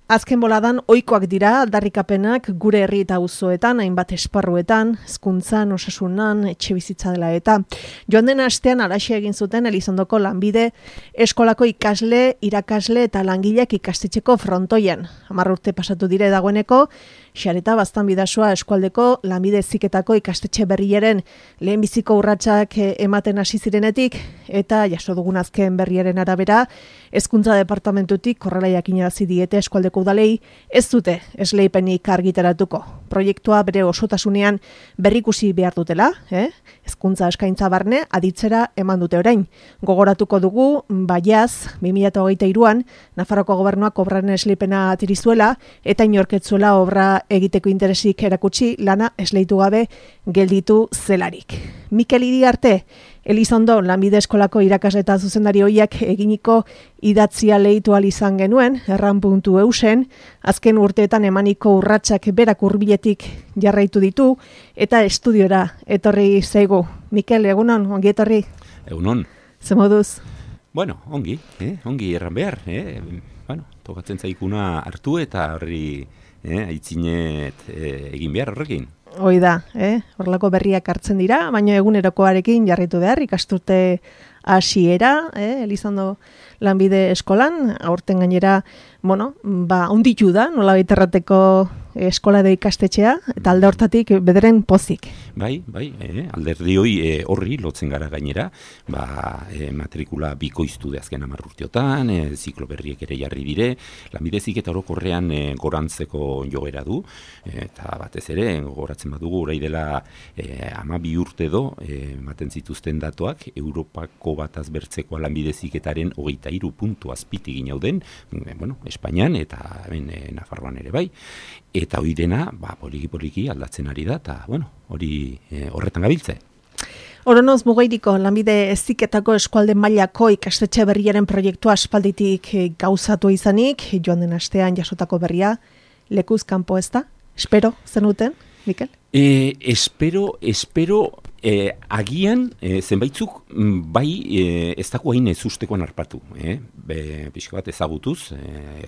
Azken boladan ohikoak dira aldarrikapenak gure herri eta auzoetan, hainbat esparruetan, hezkuntzan, osasunan, etxebizitza dela eta. Joan den astean halaxe egin zuten Elizondoko lanbide eskolako ikasle, irakasle eta langileak ikastetxeko frontoien. 10 urte pasatu dire dagoeneko, Xareta Baztan Bidasoa eskualdeko lanbide heziketako ikastetxe berriaren lehenbiziko urratsak ematen hasi zirenetik eta jaso dugun azken berriaren arabera, Hezkuntza Departamentutik horrela jakinarazi diete eskualdeko udalei ez dute esleipenik argitaratuko. Proiektua bere osotasunean berrikusi behar dutela, hezkuntza eskaintza barne aditzera eman dute orain. Gogoratuko dugu, baiaz, 2023an, Nafarroako gobernuak obraren esleipena atirizuela eta inorketzuela obra egiteko interesik erakutsi lana esleitu gabe gelditu zelarik. Mikel Iriarte, Elizondo lanbide eskolako irakasle eta zuzendari hoiak eginiko idatzia lehitu ahal izan genuen, erran.eusen, azken urteetan emaniko urratsak berak hurbiletik jarraitu ditu, eta estudiora etorri zaigu. Mikel, egunon, ongi etorri? Egunon. Ze moduz? Bueno, ongi erran behar. Tokatzen zaikuna hartu eta horri aitzinet egin behar horrekin. Hoi da, horrelako berriak hartzen dira, baina egunerokoarekin jarraitu behar, ikasturte hasiera, Elizondo lanbide eskolan, aurten gainera, unditu da, nola baiterrateko eskola da ikastetxea, eta alde hortatik bederen pozik. Bai, alderdi horri lotzen gara gainera, matrikula bikoiztu de azken 10 urteotan, ziklo berriek ere jarri dire, lanbide heziketa orokorrean gorantzeko joera du, eta batez ere, gogoratzen badugu, orai dela 12 urte do, ematen zituzten datuak, Europako bataz bertzeko lanbide heziketaren 23 puntu azpiti ginauden, Espainian eta Nafarroan ere bai, eta hori dena, poliki aldatzen ari da, eta horretan gabiltze. Oronoz Mugairiko lanbide heziketako eskualde mailako ikastetxe berriaren proiektua aspalditik gauzatu izanik, joan den astean jasotako berria, lekuz kanpo ez da? Espero zenuten, Mikel? Espero, agian zenbaitzuk ez dago hain ezustekoan harpatu. Pixka bat ezagutuz,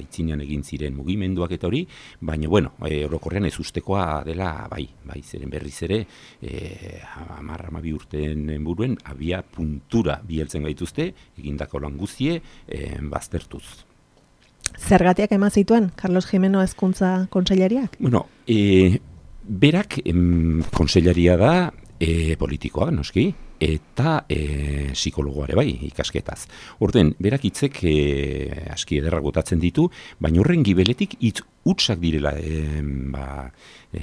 aitzinean egin ziren mugimenduak eta hori, baina orokorrean ezustekoa dela bai, zeren berriz ere 10-12 urteen buruen abia puntura biheltzen gaituzte, egindako lan guztie baztertuz. Zergatiak eman zituen, Carlos Jimeno hezkuntza kontseilariak? Berak kontseilaria da politikoa, noski, eta psikologoare bai, ikasketaz. Orduan, berak hitzek aski ederrak botatzen ditu, baina horren gibeletik hitz hutsak direla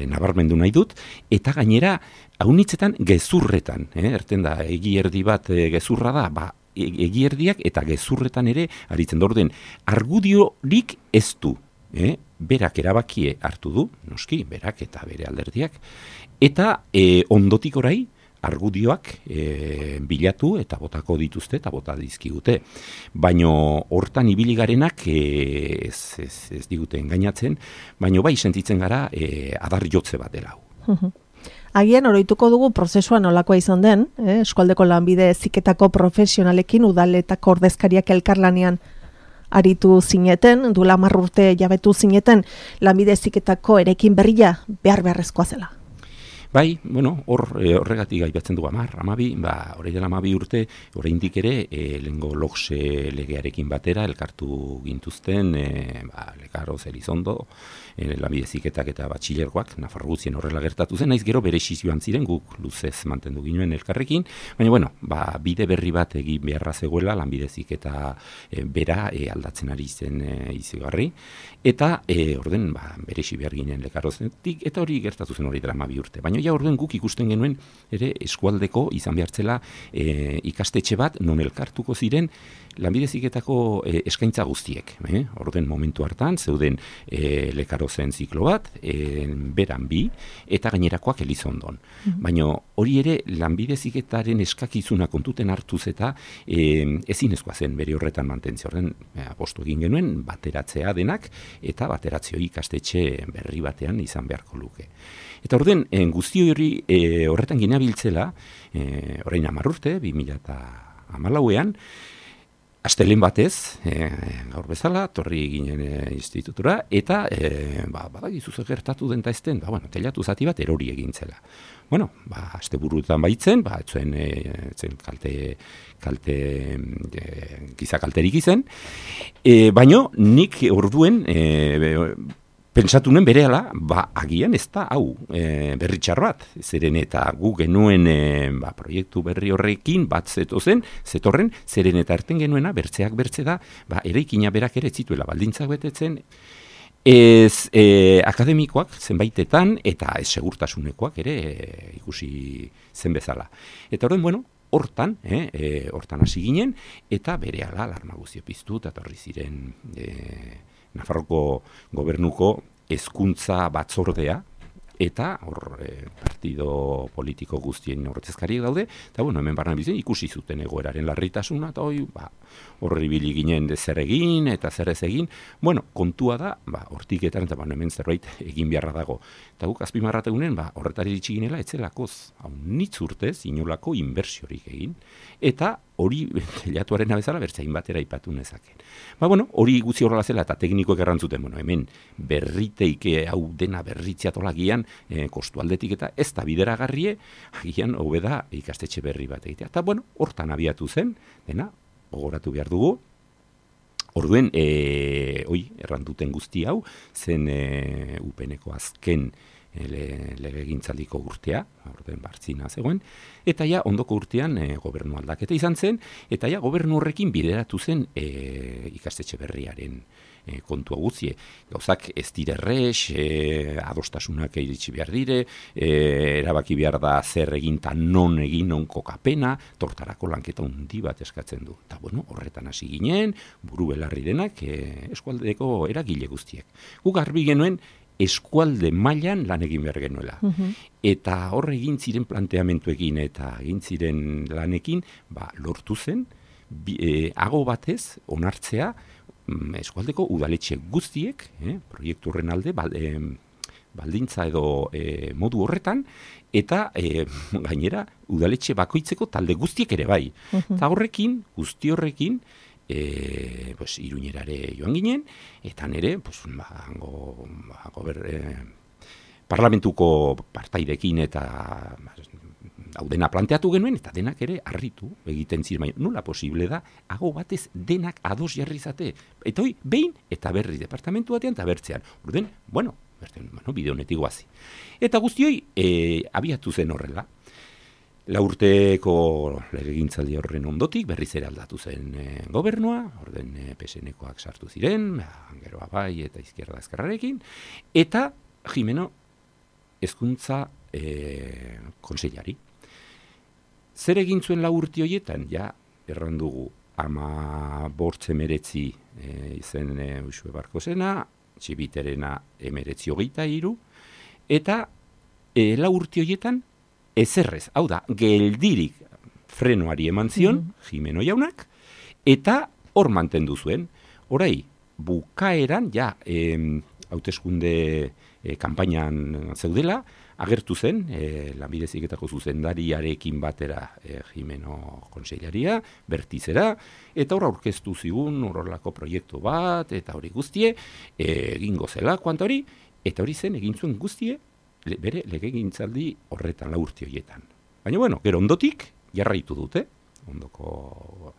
nabarmendu nahi dut, eta gainera, haunitzetan gezurretan, erten da, egi erdi bat gezurra da, egi erdiak eta gezurretan ere aritzen da. Orduan, argudiorik ez du, berak erabakie hartu du, noski, berak eta bere alderdiak, eta ondotik orai argudioak bilatu eta botako dituzte eta bota dizkigute. Baina hortan ibili garenak ez digute engainatzen, baina bai sentitzen gara adar jotze bat dela hau. Agian oroituko dugu prozesua nolakoa izan den, eskualdeko lanbide heziketako profesionalekin udaletako ordezkariak elkarlanean aritu zineten, duela 10 urte jabetu zineten, lanbide heziketako erekin berria beharrezkoa zela. Bai, horregatik aipatzen dugu 12, hori dela 12 urte, oraindik ere, lehengo lokse legearekin batera, elkartu gintuzten, Lekaroz, Elizondo, lanbide heziketak eta batxilergoak, Nafarro guztien horrela gertatu zen, naiz gero beresiz joan ziren, guk luzez mantendu ginoen elkarrekin, baina, bide berri bat egin beharra zegoela, lanbide heziketa bera aldatzen ari zen izigarri, eta orden, beresi behar ginen Lekarozetik, eta hori gertatu zen hori dela 12 urte, baina orduan guk ikusten genuen ere eskualdeko izan behartzela ikastetxe bat non elkartuko ziren lanbide heziketako eskaintza guztiek. Orduan momentu hartan zeuden Lekarozen ziklo bat, beran 2 eta gainerakoak Elizondon. Baina hori ere lanbide heziketaren eskakizuna kontuten hartuz eta ezinezkoa zen bere horretan mantentzea. Orduan apostu egin genuen bateratzea denak eta bateratzeo ikastetxe berri batean izan beharko luke. Eta orduan, guzti hori horretan ginabiltzela, orain 10 urte, 2014an, Astelehen batez, gaur bezala, torri ginen institutura, eta badakizu zer gertatu den ezten, telatu zati bat erori egin zela. Bueno, asteburuetan baitzen, etzen kalte giza kalterik izen, baino nik orduen pentsatu nuen berehala, agian ez da hau berri txar bat, zeren eta gu genuen proiektu berri horrekin bat zetorren, zeren eta erten genuena, bertzeak bertze da, eraikina berak ere zituela baldintzak betetzen, ez akademikoak zenbaitetan eta ez segurtasunekoak ere ikusi zen bezala. Eta horren, hortan hasi ginen, eta berehala alarma guztio piztu, eta torri ziren Nafarroko gobernuko hezkuntza batzordea, eta hor partido politiko guztien ordezkariak daude, eta hemen barna bizen ikusi zuten egoeraren larritasuna, eta hor ibili ginen zer egin, eta zer ez egin, kontua da, hortiketan, eta hemen zerbait egin beharra dago. Eta guk azpimarrategunen, horretari ditxiginela, etzelakoz, hau nitz urtez, inolako inbertsiorik egin, eta hori telatuaren abezala bertzain batera ipatu nezaken. Hori gutxi horrela zela eta teknikoek errantzuten, hemen berriteike hau dena berritziatolagian kostu aldetik eta ez da bideragarrie, agian hobeda ikastetxe berri bat egitea. Eta hortan abiatu zen, dena, gogoratu behar dugu, orduen, errantuten guzti hau, zen UPN-eko azken legegintzaldiko urtea, orden bartzina zegoen, eta ondoko urtean gobernu aldaketa izan zen, eta gobernu horrekin bideratu zen ikastetxe berriaren kontua guztie. Gauzak ez direrrez, adostasunak iritsi behar dire, erabaki behar da zer egin eta non egin non kokapena, tortarako lanketa hundi bat eskatzen du. Eta horretan hasi ginen, buru belarri denak eskualdeko eragile guztiek. Guk garbi genuen, eskualde mailan lan egin behar genuela. Eta hor egin ziren planteamentuekin eta egin ziren lanekin, lortu zen, hago batez onartzea eskualdeko udaletxe guztiek, proiektu horren alde, baldintza edo modu horretan, eta gainera udaletxe bakoitzeko talde guztiek ere bai. Eta horrekin, guzti horrekin, Iruñerare joan ginen, eta nire, parlamentuko partaidekin eta hau dena planteatu genuen, eta denak ere harritu egiten ziren, nola posible da, hago batez denak ados jarri zate. Eta hoi, behin eta berri departamentu batean eta bertzean. Orden, bide honetik guazi. Eta guztioi, abiatu zen horrela. 4 urteko legegintzaldi horren ondotik, berriz ere aldatu zen gobernua, orden PSN-koak sartu ziren, gero bai eta izquierda ezkerrarekin, eta Jimeno hezkuntza kontseilari. Zer egin zuen 4 urte horietan, errandugu 15 izen Uxue Barkozena, Txibiterena 1923, eta 4 urte horietan ezerrez, hau da, geldirik frenoari eman zion, Jimeno jaunak, eta hor mantendu zuen. Horai, bukaeran, hauteskunde kanpainan zeudela, agertu zen, Lanbide Heziketako zuzendariarekin batera Jimeno konseilaria, bertizera, eta hor aurkeztu zigun horrelako proiektu bat, eta hori guztie, egingo zela, kuanta hori, eta hori zen egin zuen guztie, bere legegintzaldi horretan 4 urte horietan. Baina, gero ondotik, jarraitu dute, ondoko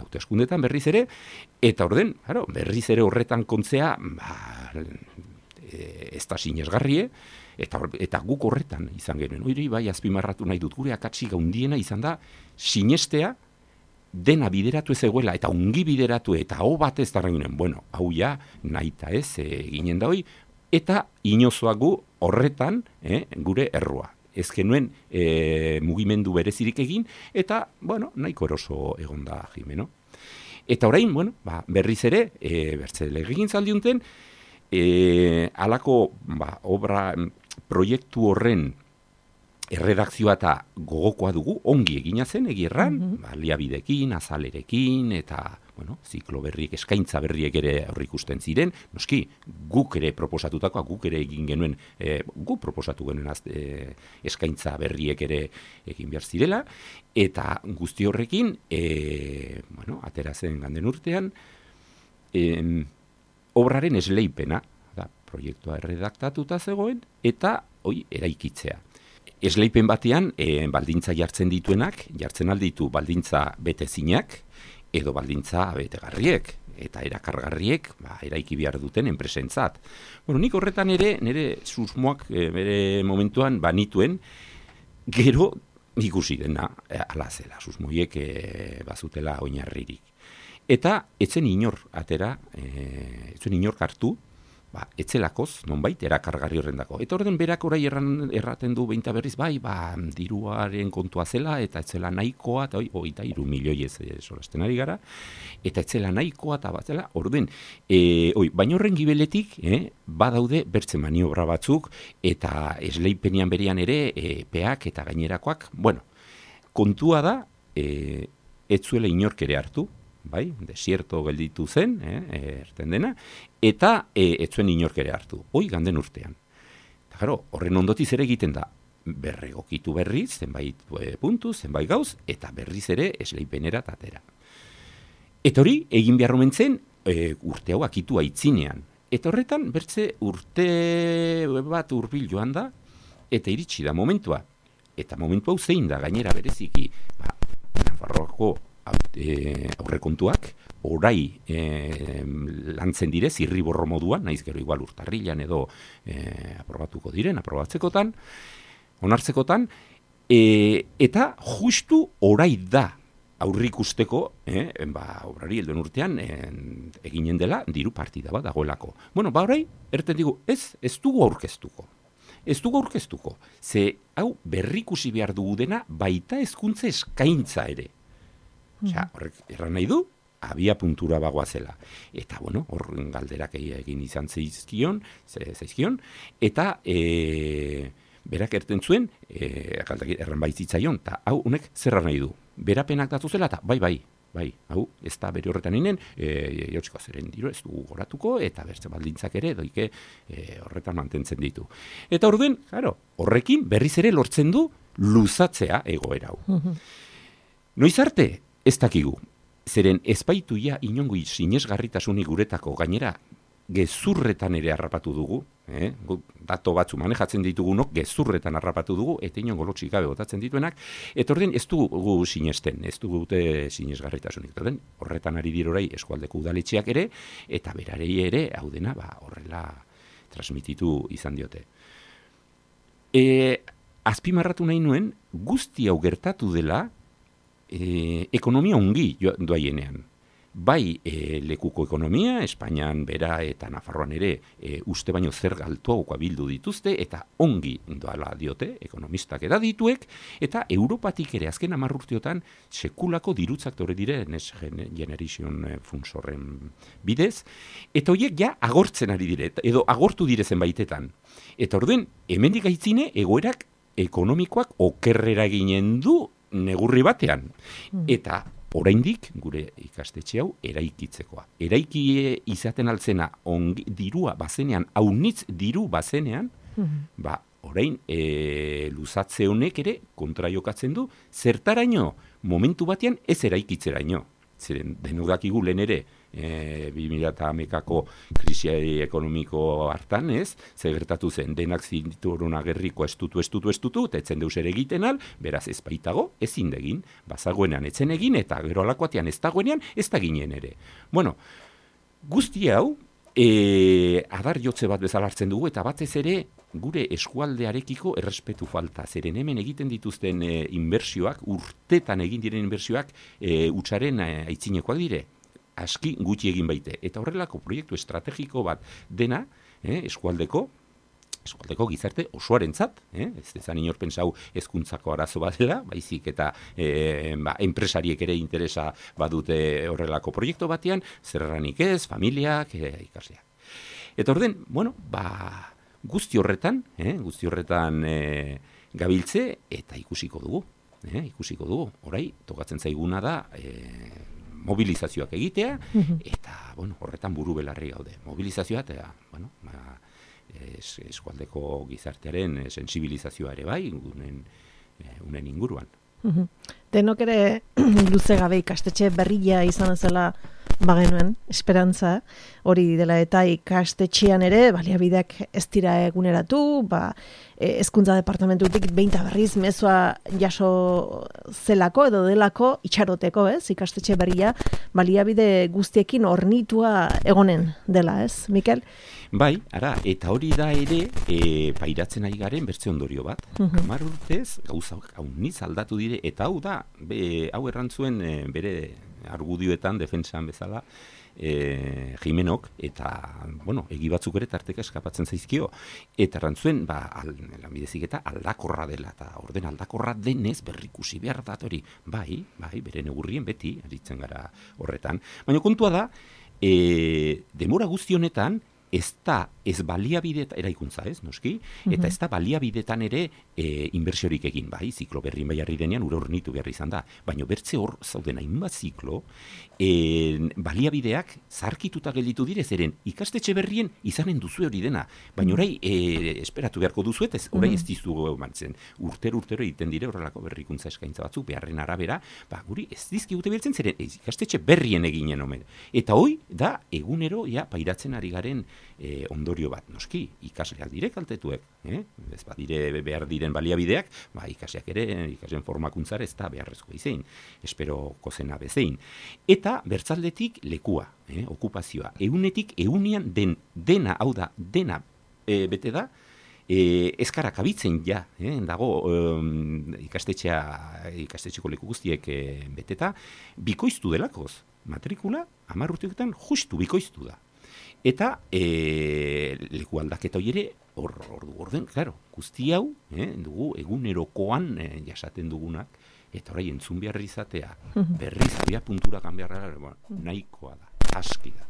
hauteskundetan berriz ere, eta orden, berriz ere horretan kontzea, ez da sinesgarrie, eta guk horretan izan genuen. Hori bai azpimarratu nahi dut, gure akatsik handiena izan da, sinestea, dena bideratu ez egoela, eta ongi bideratu, eta hau batez da ginen, hau nahita ez, ginen da hoi, eta inozoagu horretan gure errua. Ez genuen mugimendu berezirik egin, eta, nahiko eroso egon da Jimeno. Eta orain, berriz ere, bertze legegintzaldi unten, halako obra proiektu horren erredakzioa eta gogokoa dugu, ongi egina zen, egirran, baliabidekin, azalerekin, eta bueno, ziklo berriek, eskaintza berriek ere aurreikusten ziren, noski, guk ere proposatutakoa, guk ere egin genuen, guk proposatu genuen eskaintza berriek ere egin behar zirela, eta guzti horrekin, bueno, atera zen ganden urtean, obraren esleipena, da, proiektua erredaktatuta zegoen, eta eraikitzea. Esleipen batean, baldintza jartzen dituenak, jartzen alditu baldintza betezinak, edo baldintza betegarriek, eta erakargarriek, eraiki behar duten enpresentzat. Bueno, nik horretan ere, nire susmoak bere momentuan banituen, gero ikusi dena, ala zela, susmoiek bazutela oinarririk. Eta etzen inor atera, etzen inor hartu, etzelakoz, nonbait, erakargarri horrendako. Eta orden berak orai erraten du behinta berriz, diruaren kontua zela, eta etzela nahikoa, eta 23 milioi solasten ari gara, eta etzela nahikoa, eta batzela, orden, baina horren gibeletik, badaude bertze maniobra batzuk, eta esleipenian berian ere, peak eta gainerakoak, bueno, kontua da, etzuela inork ere hartu, bai, desierto gelditu zen, erten dena, eta etzuen inork ere hartu, ganden urtean. Eta gero, horren ondotiz ere egiten da, berregokitu berriz, zenbait puntu, zenbait gauz, eta berriz ere esleipenera tatera. Eta hori, egin behar omentzen, urte hau akitu aitzinean. Eta horretan, bertze urte bat hurbil joan da, eta iritsi da momentua. Eta momentu hau zein da, gainera bereziki, Nafarroako aurrekontuak, orai lantzen dire, zirriborro moduan, naiz gero igual urtarrilan edo aprobatuko diren, aprobatzekotan, onartzekotan, eta justu orai da aurrikusteko, obrari helduen urtean eginen dela diru partida bat dagoelako. Bueno, orai, erten digu, ez dugu aurkeztuko. Ez dugu aurkeztuko. Ze, hau, berrikusi behar dugu dena, baita hezkuntza eskaintza ere. Horrek erran nahi du, abia puntura bagoazela. Eta, bueno, horren galderak egin izan zaizkion, eta berak erten zuen, erran baitzitzaion, eta hau, honek zerra nahi du. Berapenak datu zela, eta bai, hau, ez da bere horretan inen, jautziko zeren diru ez dugu goratuko, eta bertze baldintzak ere, doike horretan mantentzen ditu. Eta orduen, horrekin berriz ere lortzen du luzatzea egoera hau. Noiz arte, ez dakigu, zeren ezpaituia inongo sinesgarritasunik guretako gainera gezurretan ere harrapatu dugu, dato batzu manejatzen ditugunok gezurretan harrapatu dugu, eta inongo lotxik gabe botatzen dituenak, eta orden ez dugu sinesten, ez dugu sinesgarritasunik. Horretan ari dirorai eskualdeko udaletxeak ere, eta berarei ere, hau dena, horrela transmititu izan diote. Azpimarratu nahi nuen, guzti hau gertatu dela, ekonomia ongi doaienean. Bai lekuko ekonomia, Espainian bera eta Nafarroan ere uste baino zer galtuagoa bildu dituzte, eta ongi doala diote, ekonomistak edadituek, eta Europatik ere azken 10 urteotan sekulako dirutzak tore dire Next Generation Funds horren bidez, eta horiek ja agortzen ari dire, edo agortu dire zenbaitetan. Eta orduen, hemendik aitzine egoerak ekonomikoak okerrera ginen du negurri batean. Eta oraindik gure ikastetxe hau eraikitzekoa. Eraiki izaten altzena dirua bazenean, haunitz diru bazenean, orain luzatze honek ere kontra jokatzen du, zertaraino momentu batean ez eraikitzeraino. Zeren denodakigu lehen ere 2011ko krisi ekonomiko hartan, ze gertatu zen, denak zinturun agerriko estutu, eta etzen deus ere egiten al, beraz ez baitago, ezin degin, bazagoenean etzen egin, eta gero alakoatean ez dagoenean, ez da ginen ere. Bueno, guzti hau, adar jotze bat bezala hartzen dugu, eta batez ere, gure eskualdearekiko errespetu falta. Zeren hemen egiten dituzten inbertsioak, urtetan egin diren inbertsioak, hutsaren aitzinekoak dire. Aski gutxi egin baite. Eta horrelako proiektu estrategiko bat dena, eskualdeko gizarte osoarentzat, ez dezan inor pentsau hezkuntzako arazo bat dela, baizik eta enpresariek ere interesa badute horrelako proiektu batean, zerranik ez, familiak, ikasleak. Eta orden, bueno, guzti horretan gabiltze eta ikusiko dugu. Orai, tokatzen zaiguna da, mobilizazioak egitea, eta, bueno, horretan buru belarri gaude. Mobilizazioa, eta, bueno, eskualdeko gizartearen sensibilizazioa ere bai, unen inguruan. Denok ere luze gabe ikastetxe berria izan zela bagenuen, esperantza, hori dela eta ikastetxean ere, baliabideak ez dira eguneratu, hezkuntza departamentutik behin eta berriz mezua jaso zelako edo delako itxaroteko, ikastetxe berria, baliabide guztiekin hornitua egonen dela, Mikel? Bai, eta hori da ere, pairatzen ari garen bertze ondorio bat. 10 urtez, gauzak hauniz aldatu dire, eta hau da, hau errantzuen bere argudioetan, defentsan bezala, Jimenok, eta, bueno, egi batzuk ere tarteka eskapatzen zaizkio, eta errantzuen, lanbide heziketa aldakorra dela, eta orden aldakorra denez berrikusi behar dat hori. Bai, bere neurrien beti, aritzen gara horretan. Baina kontua da, demora guzti honetan, ez baliabide eraikuntza, noski, eta ez da baliabidetan ere inbertsiorik egin, bai, ziklo berri bai harri denean ure hornitu behar izan da, baina bertze hor zauden hainbat ziklo, baliabideak zarkituta gelditu dire, zeren ikastetxe berrien izanen duzu hori dena, baina orai esperatu beharko duzu, eta orai ez dizugu mantzen, urtero egiten dire horrelako berrikuntza eskaintza batzuk, beharren arabera, guri ez dizkigute beltzen, zeren ikastetxe berrien eginen omen, eta hoi da egunero pairatzen ari garen ondorio bat, noski, ikasleak dire kaltetuek, ez badire behar diren baliabideak, ikasleak ere, ikasleen formakuntzara ez da beharrezko izein, espero kozena bezein. Eta bertzaldetik lekua, okupazioa, egunetik egunean dena, hau da, dena bete da, ezkarak abitzen dago ikastetxeko leku guztiek beteta, bikoiztu delakoz, matrikula, 10 urteetan justu bikoiztu da. Eta leku aldaketa hori ere, orden, klaro, guzti hau, dugu egunerokoan jasaten dugunak, eta orai entzun behar izatea, berriz abia puntura kanbiarra, nahikoa da, aski da.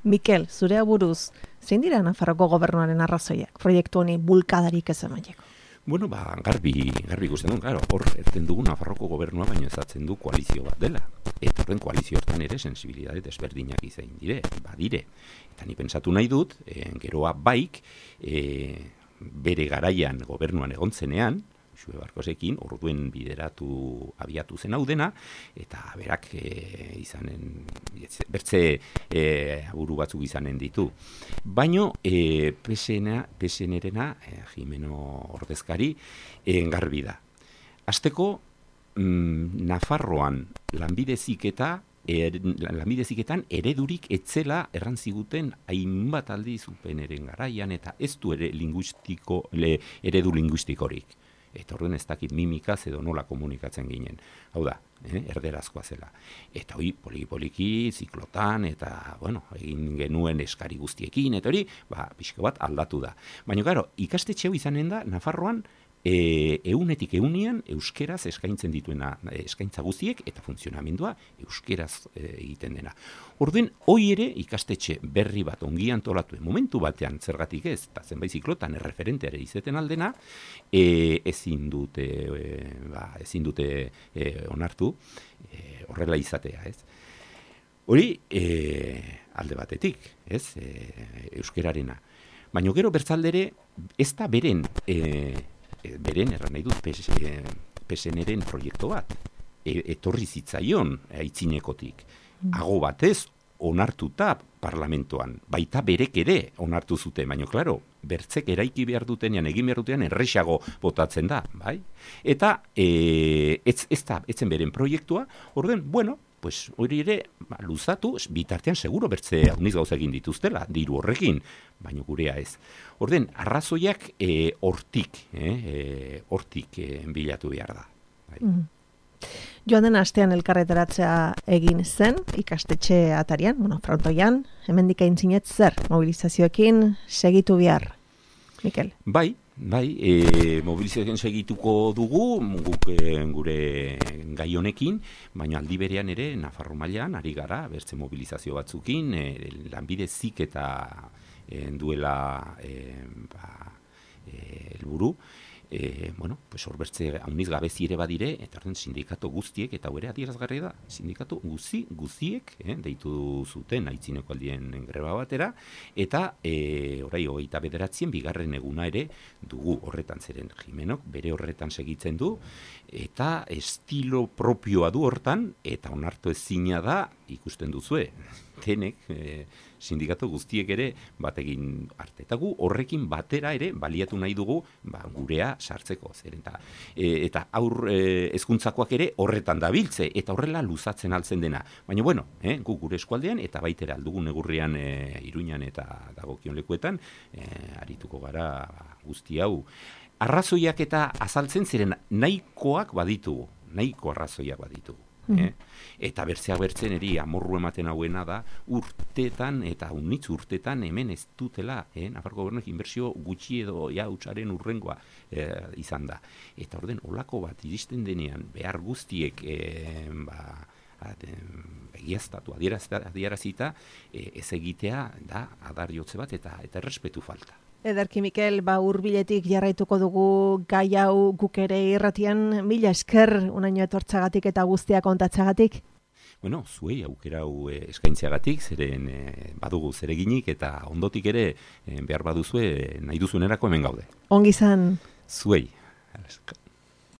Mikel, zure aburuz, zein dira Nafarroko gobernuaren arrazoiak, proiektu honi bulkadarik ez emaileko? Bueno, garbi ikusten duen, claro, hor erten dugu Nafarroko gobernua baino ezatzen du koalizio bat dela. Eta horren koalizio hortan ere sensibilidade desberdinak izain badire. Eta ni pentsatu nahi dut, geroa baik, bere garaian gobernuan egontzenean, Xue Barkosekin, orduen abiatu zen hau dena, eta berak bertze aburu batzuk izanen ditu. Baino, PSN-erena, Jimeno ordezkari, garbi da. Hasteko, Nafarroan lanbide heziketan eredurik etzela errantziguten hainbat aldiz UPNren garaian, eta ez du eredu linguistikorik. Eta horren ez dakit mimikaz edo nola komunikatzen ginen. Hau da, erderazkoa zela. Eta hori poliki-poliki, ziklotan, eta, bueno, egin genuen eskari guztiekin, eta hori, pixka bat aldatu da. Baina, gero, ikastetxe hau izanen da, Nafarroan, egunetik egunean euskeraz eskaintzen dituena eskaintza guztiek eta funtzionamendua euskeraz egiten dena. Orduen, hoi ere ikastetxe berri bat ongi antolatuen momentu batean zergatik ez, eta zenbait ziklotan erreferenteare izeten aldena, ezin dute onartu horrela izatea, ez? Hori alde batetik, ez? Euskerarena. Baina gero bertzaldere ez da beren erran nahi dut PSN-eren proiektu bat. Etorri zitzaion aitzinekotik. Ago batez onartuta parlamentoan. Baita berek ere onartu zuten, baina, klaro, bertzek eraiki behar dutenean, egin behar dutenean, erresago botatzen da, bai? Eta etzen beren proiektua, orden, bueno, pues hori ere luzatu, bitartean seguro bertze hauniz gauza egin dituztela, diru horrekin, baina gurea ez. Orden, arrazoiak hortik bilatu behar da. Joan den astean elkarretaratzea egin zen, ikastetxe atarian, frontoian, hemendik aintzinet zer mobilizazioekin segitu behar, Mikel? Bai, mobilizazioen segituko dugu, guk gure gai honekin, baina aldi berean ere Nafarro mailan ari gara, bertze mobilizazio batzukin, lanbide heziketa duela helburu, pues horbertze hauniz gabezi ere badire, eta orden sindikatu guztiek, eta hori adierazgarri da, sindikatu guziek, deitu zuten aitzineko aldien greba batera, eta orai 29 bigarren eguna ere dugu horretan, zeren Jimenok bere horretan segitzen du, eta estilo propioa du hortan, eta onartu ezina da, ikusten duzue, denek, sindikatu guztiek ere bategin arte. Eta gu horrekin batera ere baliatu nahi dugu gurea sartzeko. Eta hezkuntzakoak ere horretan dabiltze, eta horrela luzatzen altzen dena. Baina bueno, gu gure eskualdean, eta baitera aldugun negurrian Iruñan eta dagokion lekuetan, arituko gara guzti hau. Arrazoiak eta azaltzen ziren nahikoak baditugu, nahiko arrazoiak baditugu. Eta bertzen eri amorru ematen hauena da urtetan eta unitz urtetan hemen ez dutela, Nafarroko Gobernuak inbertsio gutxi edo hutsaren urrengoa izan da. Eta orden olako bat iristen denean behar guztiek egiaztatu, adierazita ez egitea da adar jotze bat eta errespetu falta. Ederki Mikel, hurbiletik jarraituko dugu gai hau guk ere irratian, mila esker unaino etortzagatik eta guztia kontatzagatik. Bueno, zuei aukera hau eskaintzeagatik, zeren badugu zereginik eta ondotik ere behar baduzue nahi duzunerako hemen gaude. Ongi izan. Zuei.